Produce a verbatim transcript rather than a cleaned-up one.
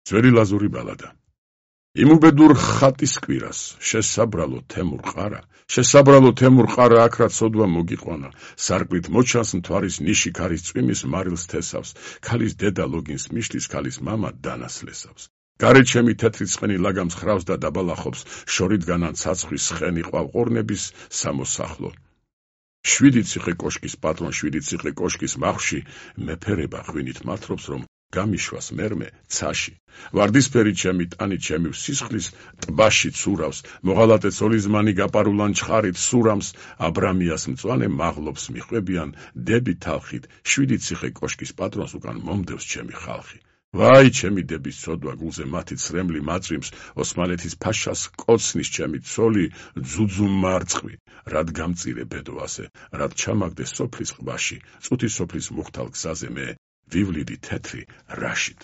ძველი ლაზური ბალადა. იმუბედურ ხატის კვირას, შესაბრალო თემურ ყარა, შესაბრალო თემურ ყარა აქ რაც სოდვა მოგიყვანა, სარკმლით მოჩანს მთვარის ნიში ქარის წვიმის მარილს თესავს, ქალის დედა ლოგინს მიშლის, ქალის მამა დანას ლესავს. გარეთ ჩემი თეთრი ცხენი ლაგამს ხრავს და დაბალახობს, შორიდგანან ცაცხვრის ცხენი ყვავყორნების სამოსახლო. შვიდი ციხე კოშკის პატრონ, შვიდი ციხე კოშკის მახში, მეფერება ღვინით მართლობს, რომ გამიშვას მერმე ცაში. ვარდისფერი ჩემი ტანი ჩემი სისხლის ტბაში ცურავს, მოღალატე ცოლიზმანი გაპარულან ჩხარით სურამს, აბრამიას მწვანე მაღლობს მიხვებიან, დები თალხით, შვიდი ციხე კოშკის პატრონს უკან მომდევს ჩემი ხალხი. ვაი, ჩემი დების ცოდვა გულზე მათი ცრემლი მაწვიმს, ოსმალეთის ფაშას კოცნის ჩემი ცოლი, ძუძუ მარწყვი, რად გამწირე ბედო ასე, რად ჩამაგდე სოფლის ყბაში, წუთი სოფლის მუხთალ გზაზე მე, ვივლიდი თეთრი რაშით.